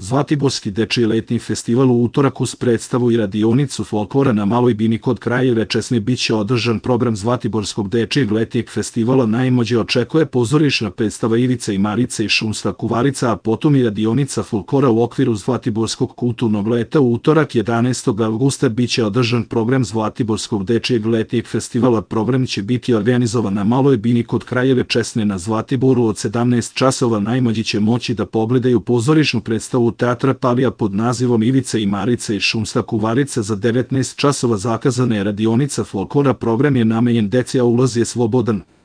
Zlatiborski dečiji letnji festival u utorak uz predstavu i radionicu folklora na Maloj bini kod Kraljeve Česme biće održan program Zlatiborskog dečijeg letnjeg festivala. Najmlađe očekuje pozorišna predstava Ivice i Marice i šumska kuvarica, a potom i radionica folklora u okviru Zlatiborskog kulturnog leta. U utorak 11. avgusta biće održan program Zlatiborskog dečijeg letnjeg festivala. Program će biti organizovan na Maloj bini kod Kraljeve Česme na Zlatiboru od 17 časova. Najmlađi će moći da pogledaju pozorišnu predstavu Teatra Palija pod nazivom Ivice i Marice i šumska kuvarica. Za 19 časova zakazana je radionica folklora. Program je namenjen deci, a ulaz je slobodan.